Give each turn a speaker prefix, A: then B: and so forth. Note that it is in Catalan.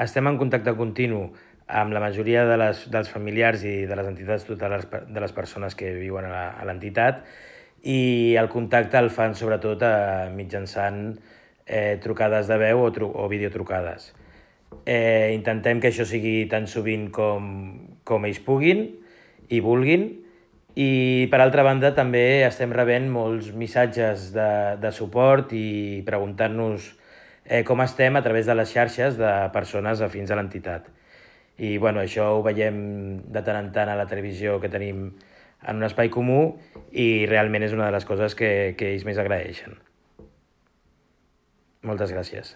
A: estem en contacte continu amb la majoria dels familiars i de les entitats tutelares de les persones que viuen a l'entitat, i el contacte el fan sobretot mitjançant trucades de veu o videotrucades. Intentem que això sigui tan sovint com ells puguin i vulguin, i per altra banda també estem rebent molts missatges de suport i preguntant-nos com estem a través de les xarxes de persones afins a l'entitat. I això ho veiem de tant en tant a la televisió que tenim en un espai comú, i realment és una de les coses que ells més agraeixen. Moltes gràcies.